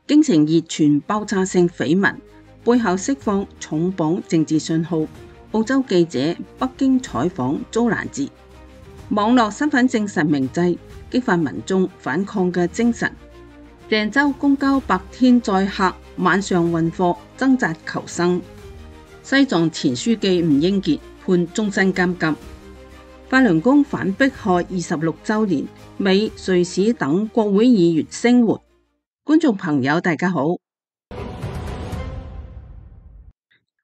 京城熱傳爆炸性緋聞，背後釋放重磅政治信號。澳洲記者北京採訪遭攔截，網絡身份證實名制激發民眾反抗嘅精神。鄭州公交白天載客，晚上運貨，掙扎求生。西藏前書記吳英傑判終身監禁。法輪功反迫害26週年，美、瑞士等國會議員聲援。觀眾朋友大家好。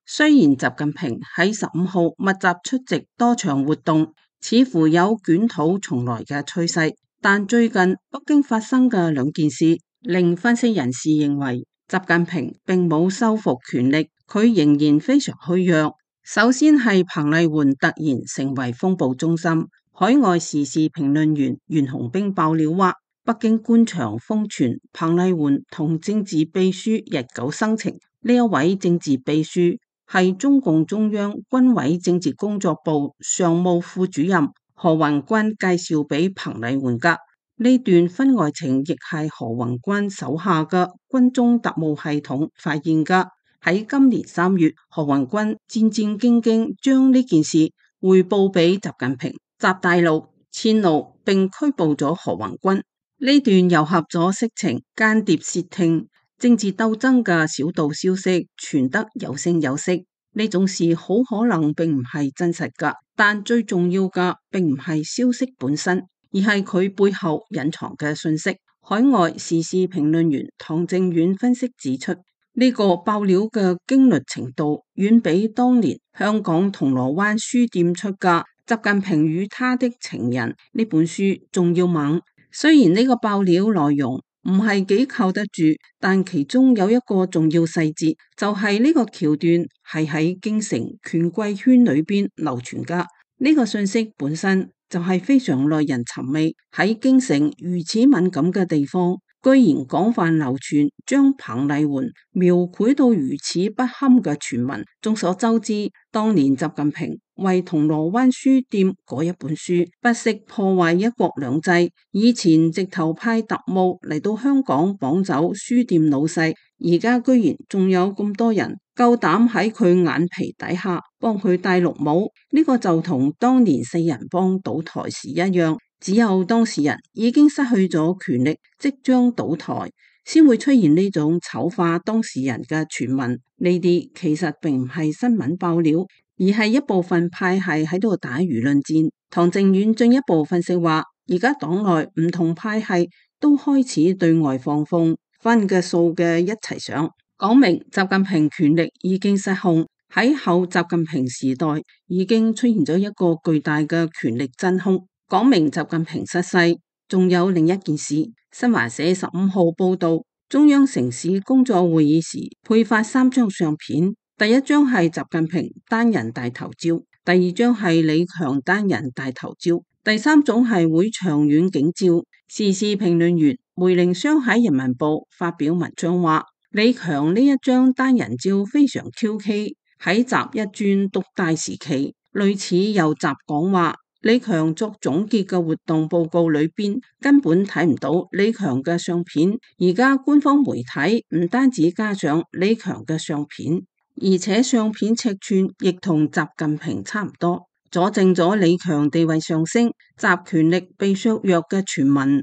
雖然習近平喺15號密集出席多場活動，似乎有捲土重來嘅趨勢，但最近北京發生嘅兩件事，令分析人士認為習近平並冇收復權力，佢仍然非常虛弱。首先係彭麗媛突然成為風暴中心，海外時事評論員袁洪兵爆料話，北京官場瘋傳彭麗媛同政治秘書日久生情，呢一位政治秘書係中共中央軍委政治工作部常務副主任何宏軍介紹俾彭麗媛噶。呢段婚外情亦係何宏軍手下嘅軍中特務系統發現噶。喺今年3月，何宏軍戰戰兢兢將呢件事匯報俾習近平，習大陸遷怒並拘捕咗何宏軍。呢段糅合咗色情、間諜竊聽、政治鬥爭嘅小道消息傳得有聲有色，呢種事好可能並唔係真實噶。但最重要嘅並唔係消息本身，而係佢背後隱藏嘅信息。海外時事評論員唐正遠分析指出，呢個爆料嘅驚慄程度遠比當年香港銅鑼灣書店出嘅《習近平與他的情人》呢本書仲要猛。雖然呢個爆料內容唔係幾靠得住，但其中有一個重要細節，就係呢個橋段係喺京城權貴圈裏邊流傳噶。呢個信息本身就係非常耐人尋味，喺京城如此敏感嘅地方，居然廣泛流傳，將彭麗媛描繪到如此不堪嘅傳聞。眾所周知，當年習近平為銅鑼灣書店嗰一本書不惜破壞一國兩制，以前直頭派特務嚟到香港綁走書店老細，而家居然仲有咁多人夠膽喺佢眼皮底下幫佢戴綠帽。呢個就同當年4人幫倒台時一樣，只有當事人已經失去咗權力，即將倒台，先會出現呢種醜化當事人嘅傳聞。呢啲其實並唔係新聞爆料，而係一部分派系喺度打輿論戰。唐正遠進一步分析話，而家黨內唔同派系都開始對外放風，分嘅數嘅一齊上，講明習近平權力已經失控。喺後習近平時代已經出現咗一個巨大嘅權力真空，講明習近平失勢。仲有另一件事，新華社15號報道，中央城市工作會議時配發3張相片，第一張係習近平單人大頭照，第二張係李強單人大頭照，第三種係會場遠景照。時事評論員梅凌湘喺人民報發表文章話，李強呢一張單人照非常 QK。喺習一尊獨大時期，類似由習講話，李強作總結嘅活動報告裏邊根本睇唔到李強嘅相片。而家官方媒體唔單止加上李強嘅相片，而且相片尺寸亦同習近平差唔多，佐證咗李強地位上升、習權力被削弱嘅傳聞。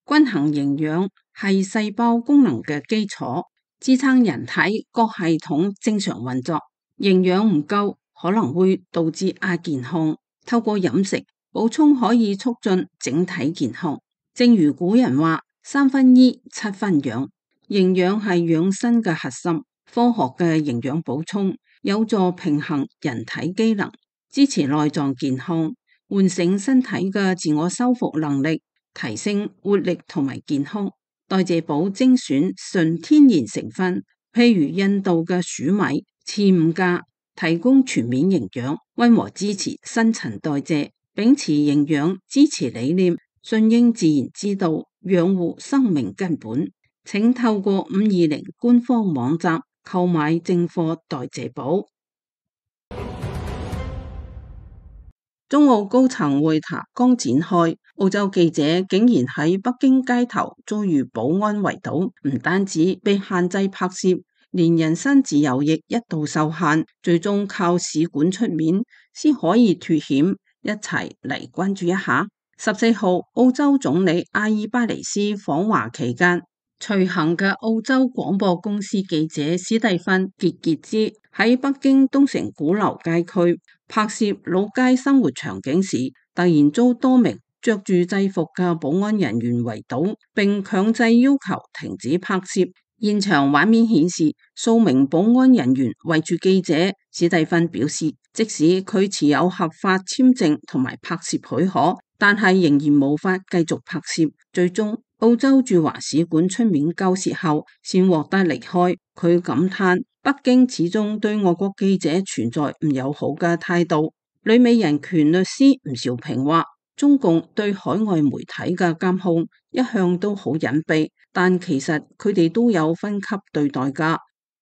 均衡營養係細胞功能嘅基礎，支撐人體各系統正常運作。營養唔夠可能會導致亞健康，透過飲食補充可以促進整體健康。正如古人話，3分醫7分養，營養係養生嘅核心。科學嘅營養補充有助平衡人體機能，支持內臟健康，喚醒身體嘅自我修復能力，提升活力同埋健康。代謝寶精選純天然成分，譬如印度嘅黍米、刺五加，提供全面營養，溫和支持新陳代謝，秉持營養支持理念，順應自然之道，養護生命根本。請透過520官方網站購買正貨代謝寶。中澳高層會談剛展開，澳洲記者竟然喺北京街頭遭遇保安圍堵，唔單止被限制拍攝，連人身自由亦一度受限，最終靠使館出面先可以脫險。一齊嚟關注一下。14號，澳洲總理阿爾巴尼斯訪華期間，隨行嘅澳洲廣播公司記者史蒂芬傑傑茲喺北京東城鼓樓街區拍攝老街生活場景時，突然遭多名着住制服嘅保安人員圍堵，並強制要求停止拍攝。現場畫面顯示數名保安人員圍住記者。史蒂芬表示，即使佢持有合法簽證同埋拍攝許可，但係仍然無法繼續拍攝。最終澳洲駐華使館出面交涉後，先獲得離開。佢感嘆北京始終對外國記者存在唔友好嘅態度。旅美人權律師吳兆平話，中共對海外媒體嘅監控一向都好隱蔽，但其實佢哋都有分級對待㗎。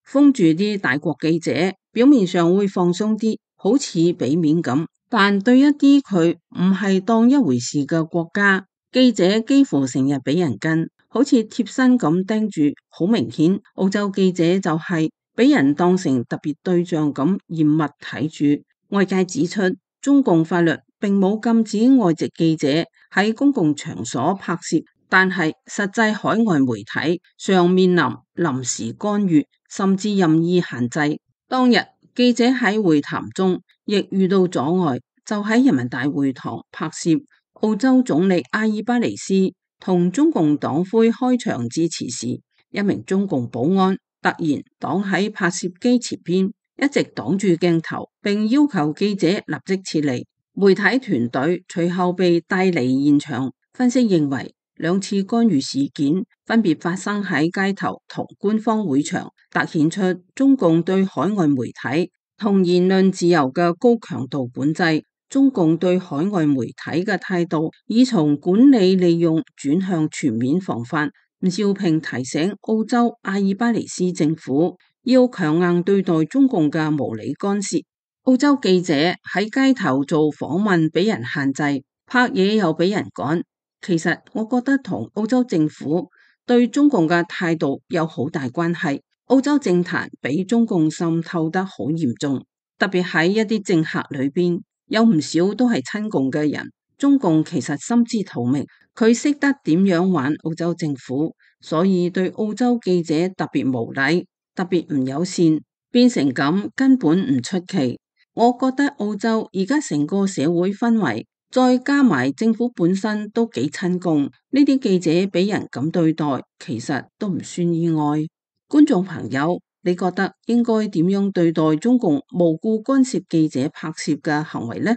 封住啲大國記者，表面上會放鬆啲，好似俾面咁，但對一啲佢唔係當一回事嘅國家，記者幾乎成日俾人跟，好似貼身咁盯住。好明顯，澳洲記者就係俾人當成特別對象咁嚴密睇住。外界指出，中共法律並冇禁止外籍記者喺公共場所拍攝，但係實際海外媒體尚面臨臨時干預，甚至任意限制。當日記者喺會談中亦遇到阻礙，就喺人民大會堂拍攝澳洲總理阿爾巴尼斯同中共黨魁開場致辭時，一名中共保安突然擋喺拍攝機前邊，一直擋住鏡頭，並要求記者立即撤離。媒體團隊隨後被帶離現場。分析認為，兩次干預事件分別發生喺街頭同官方會場，凸顯出中共對海外媒體同言論自由嘅高強度管制。中共對海外媒體嘅態度已從管理利用轉向全面防範。吳兆平提醒澳洲阿爾巴尼斯政府要強硬對待中共嘅無理干涉。澳洲記者喺街頭做訪問俾人限制，拍嘢又俾人趕。其實我覺得同澳洲政府對中共嘅態度有好大關係。澳洲政壇俾中共滲透得好嚴重，特別喺一啲政客裏邊，有唔少都係親共嘅人。中共其實心知肚明，佢識得點樣玩澳洲政府，所以對澳洲記者特別無禮，特別唔友善，變成咁根本唔出奇。我覺得澳洲而家成個社會氛圍，再加埋政府本身都幾親共，呢啲記者俾人咁對待，其實都唔算意外。觀眾朋友，你覺得應該點樣對待中共無故干涉記者拍攝嘅行為呢？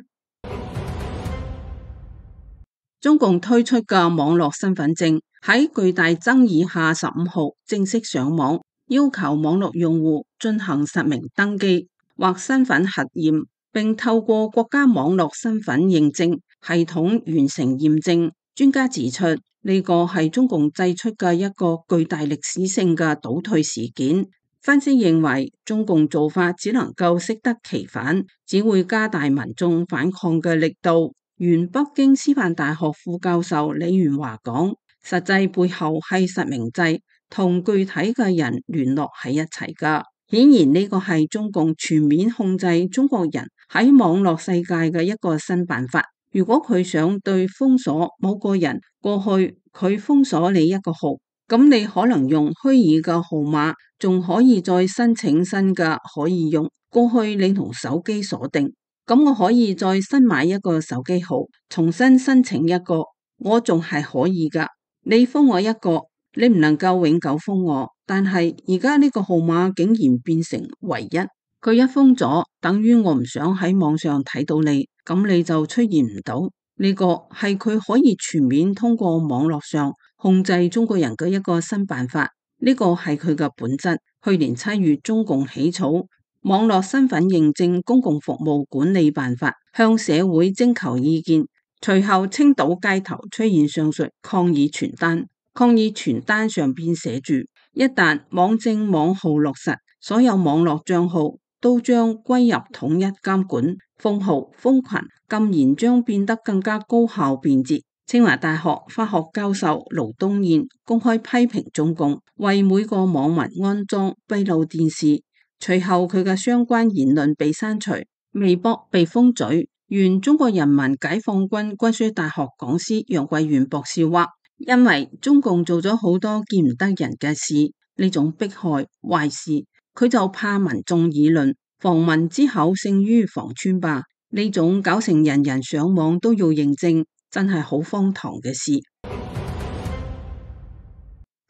中共推出嘅網絡身份證喺巨大爭議下15號正式上網，要求網絡用戶進行實名登記或身份核驗，並透過國家網絡身份認證系統完成驗證。專家指出，呢個係中共製出嘅一個巨大歷史性嘅倒退事件。分析認為，中共做法只能夠適得其反，只會加大民眾反抗嘅力度。原北京師範大學副教授李元華講，實際背後係實名制同具體嘅人聯絡喺一齊㗎。顯然呢個係中共全面控制中國人喺網絡世界嘅一個新辦法。如果佢想對封鎖某個人，過去佢封鎖你一個號，咁你可能用虛擬嘅號碼，仲可以再申請新嘅可以用。過去你同手機鎖定，咁我可以再新買一個手機號，重新申請一個，我仲係可以㗎。你封我一個，你唔能夠永久封我。但係而家呢個號碼竟然變成唯一，佢一封咗，等於我唔想喺網上睇到你，咁你就出現唔到。呢個係佢可以全面通過網絡上控制中國人嘅一個新辦法。呢個係佢嘅本質。去年7月，中共起草網絡身份認證公共服務管理辦法，向社會徵求意見。隨後青島街頭出現上述抗議傳單，抗議傳單上邊寫住：一旦網證網號落實，所有網絡賬號都將歸入統一監管。封號、封群，禁言將變得更加高效便捷。清華大學法學教授盧東彥公開批評中共為每個網民安裝閉路電視，隨後佢嘅相關言論被刪除，微博被封嘴。原中國人民解放軍軍需大學講師楊貴元博士話，因為中共做咗好多見唔得人嘅事，呢種迫害壞事，佢就怕民眾議論，防民之口勝於防川吧。呢種搞成人人上網都要認證，真係好荒唐嘅事。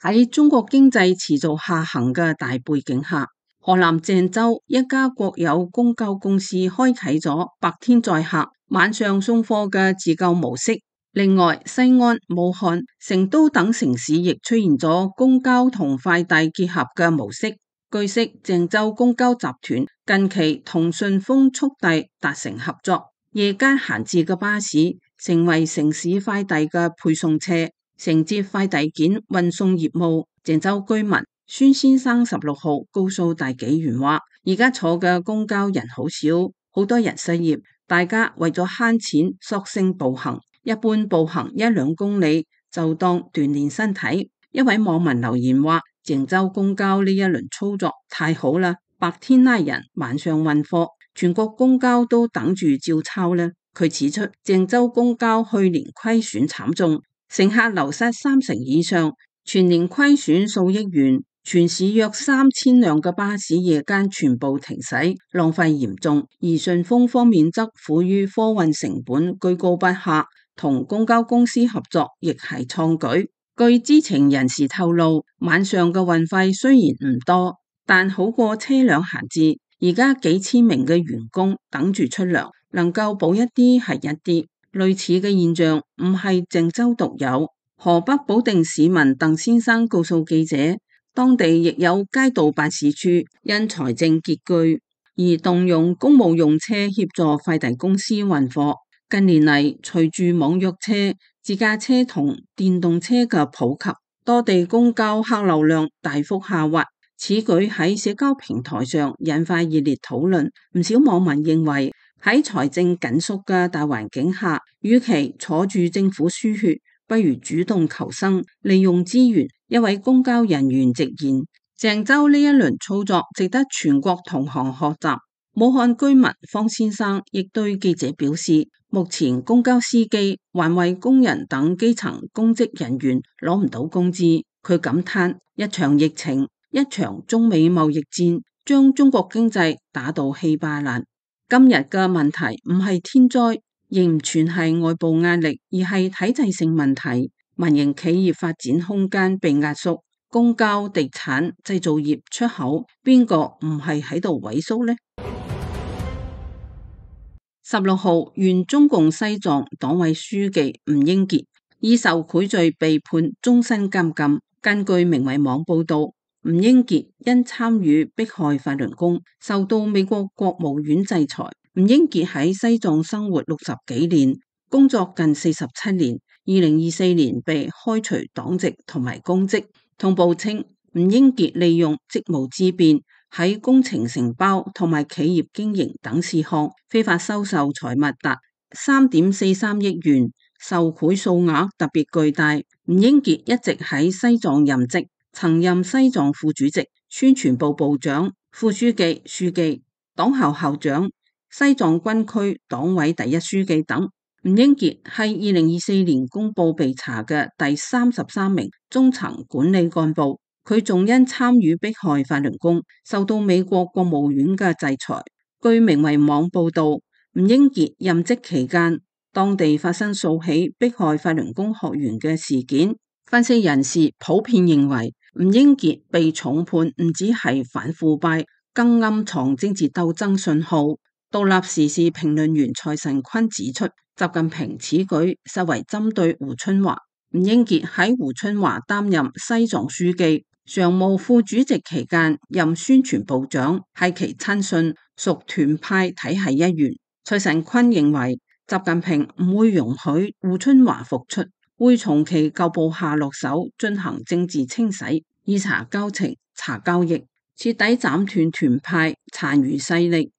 喺中國經濟持續下行嘅大背景下，河南鄭州一家國有公交公司開啟咗白天載客、晚上送貨嘅自救模式。另外，西安、武漢、成都等城市亦出現咗公交同快遞結合嘅模式。據悉，鄭州公交集團近期同順豐速遞達成合作，夜間閒置嘅巴士成為城市快遞嘅配送車，承接快遞件運送業務。鄭州居民孫先生16號告訴大紀元話，而家坐嘅公交人好少，好多人失業，大家為咗慳錢索性步行，一般步行1-2公里就當鍛煉身體。一位網民留言話，鄭州公交呢一輪操作太好啦，白天拉人，晚上運貨，全國公交都等住照抄呢。佢指出，鄭州公交去年虧損慘重，乘客流失30%以上，全年虧損數億元，全市約3000輛嘅巴士夜間全部停駛，浪費嚴重。而順豐方面則苦於貨運成本居高不下，同公交公司合作亦係創舉。據知情人士透露，晚上嘅運費雖然唔多，但好過車輛閒置。而家幾千名嘅員工等住出糧，能夠補一啲係一啲。類似嘅現象唔係鄭州獨有。河北保定市民鄧先生告訴記者，當地亦有街道辦事處因財政拮據而動用公務用車協助快遞公司運貨。近年嚟，隨住網約車、自駕車同電動車嘅普及，多地公交客流量大幅下滑。此舉喺社交平台上引發熱烈討論。唔少網民認為，喺財政緊縮嘅大環境下，與其坐住政府輸血，不如主動求生，利用資源。一位公交人員直言，鄭州呢一輪操作值得全國同行學習。武漢居民方先生亦對記者表示，目前公交司機、環衛工人等基層公職人員攞唔到工資。佢感嘆，一場疫情、一場中美貿易戰將中國經濟打到稀巴爛。今日嘅問題唔係天災，亦唔全係外部壓力，而係體制性問題。民營企業發展空間被壓縮，公交、地產、製造業、出口，邊個唔係喺度萎縮呢？16號，原中共西藏黨委書記吳英傑以受賄罪被判終身監禁。根據明慧網報道，吳英傑因參與迫害法輪功，受到美國國務院制裁。吳英傑喺西藏生活60幾年，工作近47年，2024年被開除黨籍同埋公職。通報稱，吳英傑利用職務之便，喺工程承包同埋企業經營等事項非法收受財物達3.43億元，受賄數額特別巨大。吳英傑一直喺西藏任職，曾任西藏副主席、宣傳部部長、副書記、書記、黨校校長、西藏軍區黨委第一書記等。吳英傑係2024年公布被查嘅第33名中層管理幹部，佢仲因參與迫害法輪功，受到美國國務院嘅制裁。據明慧網報道，吳英傑任職期間，當地發生數起迫害法輪功學員嘅事件。分析人士普遍認為，吳英傑被重判唔止係反腐敗，更暗藏政治鬥爭信號。獨立時事評論員蔡慎坤指出，習近平此舉實為針對胡春華。吳英傑喺胡春華擔任西藏書記、常務副主席期間任宣傳部長，係其親信，屬團派體系一員。蔡慎坤認為，習近平唔會容許胡春華復出，會從其舊部下落手進行政治清洗，以查交情、查交易，徹底斬斷團派殘餘勢力。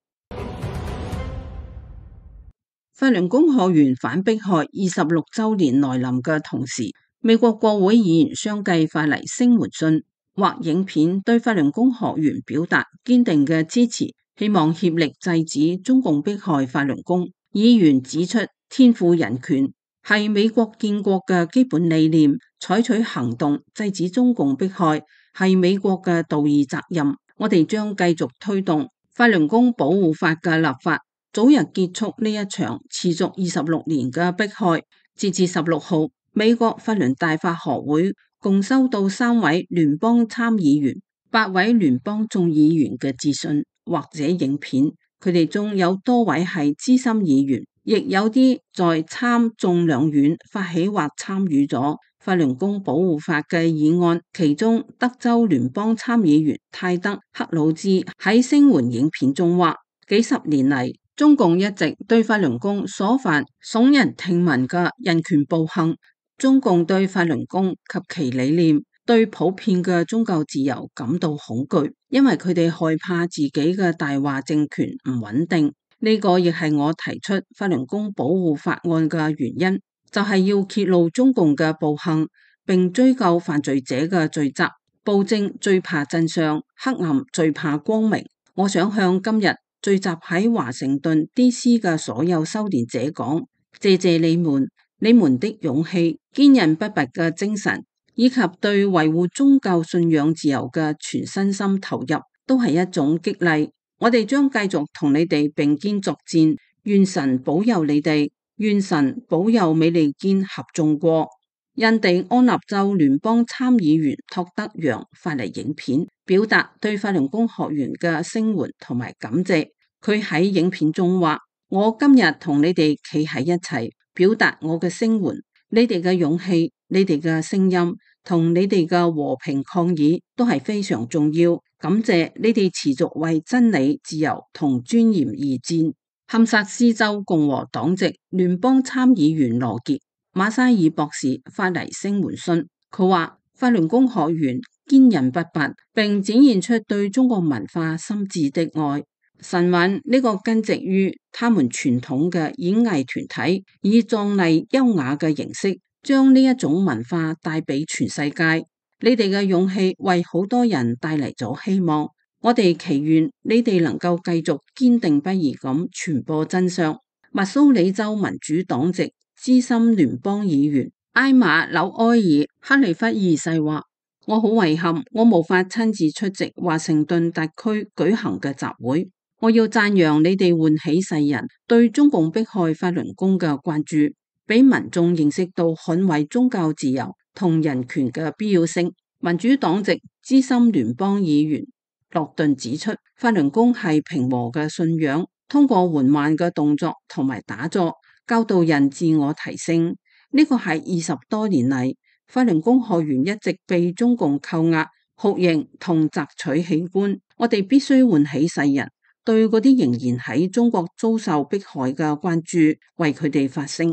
法輪功學員反迫害26週年來臨嘅同時，美國國會議員相繼發嚟聲援信或影片，對法輪功學員表達堅定嘅支持，希望協力制止中共迫害法輪功。議員指出，天賦人權係美國建國嘅基本理念，採取行動制止中共迫害係美國嘅道義責任。我哋將繼續推動法輪功保護法嘅立法，早日結束呢一場持續26年嘅迫害。截至16號，美國法輪大法學會共收到3位聯邦參議員、8位聯邦眾議員嘅致信或者影片，佢哋中有多位係資深議員，亦有啲在參眾兩院發起或參與咗法輪功保護法嘅議案。其中德州聯邦參議員泰德·克魯茲喺聲援影片中話，幾十年嚟，中共一直對法輪功所犯聳人聽聞嘅人權暴行。中共對法輪功及其理念、對普遍嘅宗教自由感到恐懼，因為佢哋害怕自己嘅大話政權唔穩定。呢個亦係我提出法輪功保護法案嘅原因，就係要揭露中共嘅暴行，並追究犯罪者嘅罪責。暴政最怕真相，黑暗最怕光明。我想向今日聚集喺華盛頓 DC 嘅所有修煉者講，謝謝你們。你們的勇氣、堅韌不拔嘅精神，以及對維護宗教信仰自由嘅全身心投入，都係一種激勵。我哋將繼續同你哋並肩作戰，願神保佑你哋，願神保佑美利堅合眾國。印第安納州聯邦參議員托德楊發嚟影片，表達對法輪功學員嘅聲援同埋感謝。佢喺影片中話：我今日同你哋企喺一齊，表達我嘅聲援，你哋嘅勇氣、你哋嘅聲音同你哋嘅和平抗議都係非常重要。感謝你哋持續為真理、自由同尊嚴而戰。堪薩斯州共和黨籍聯邦參議員羅傑·馬沙爾博士發嚟聲援信，佢話法輪功學員堅韌不拔，並展現出對中國文化深摯的愛。神韻呢個根植於他們傳統嘅演藝團體，以壯麗優雅嘅形式，將呢一種文化帶俾全世界。你哋嘅勇氣為好多人帶嚟咗希望，我哋祈願你哋能夠繼續堅定不移咁傳播真相。密蘇里州民主黨籍資深聯邦議員埃馬紐埃爾克利弗二世話：我好遺憾，我無法親自出席華盛頓特區舉行嘅集會。我要讚揚你哋喚起世人對中共迫害法輪功嘅關注，俾民眾認識到捍衛宗教自由同人權嘅必要性。民主黨籍資深聯邦議員洛頓指出，法輪功係平和嘅信仰，通過緩慢嘅動作同埋打坐，教導人自我提升。呢個係20多年嚟，法輪功學員一直被中共扣押、酷刑同摘取器官。我哋必須喚起世人對嗰啲仍然喺中國遭受迫害嘅關注，為佢哋發聲。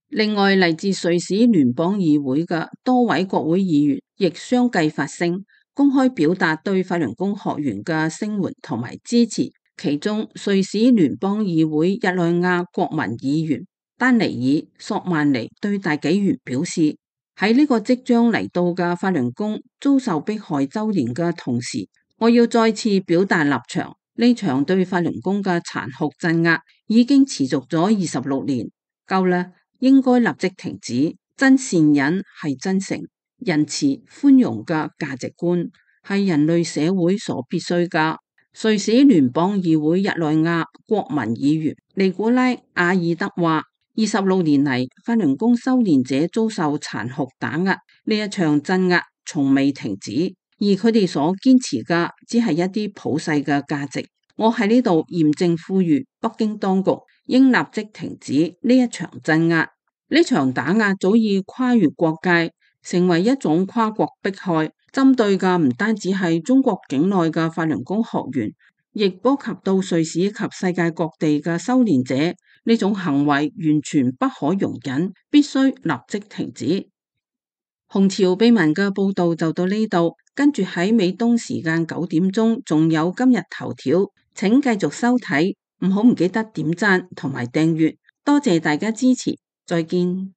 另外，嚟自瑞士聯邦議會嘅多位國會議員亦相繼發聲，公開表達對法輪功學員嘅聲援同埋支持。其中，瑞士聯邦議會日內瓦國民議員丹尼爾·索曼尼對大紀元表示：喺呢個即將嚟到嘅法輪功遭受迫害週年嘅同時，我要再次表達立場。呢場對法輪功嘅殘酷鎮壓已經持續咗26年，夠啦，應該立即停止。真善忍係真誠、仁慈、寬容嘅價值觀，係人類社會所必須㗎。瑞士聯邦議會日內瓦國民議員尼古拉·阿爾德話：26年嚟，法輪功修煉者遭受殘酷打壓，呢一場鎮壓從未停止。而佢哋所堅持嘅只係一啲普世嘅價值。我喺呢度嚴正呼籲北京當局應立即停止呢一場鎮壓。呢場打壓早已跨越國界，成為一種跨國迫害，針對嘅唔單止係中國境內嘅法輪功學員，亦波及到瑞士及世界各地嘅修煉者。呢種行為完全不可容忍，必須立即停止。紅潮秘聞嘅報道就到呢度，跟住喺美東時間9點鐘，仲有今日頭條，請繼續收睇，唔記得點讚同埋訂閱。多謝大家支持，再見。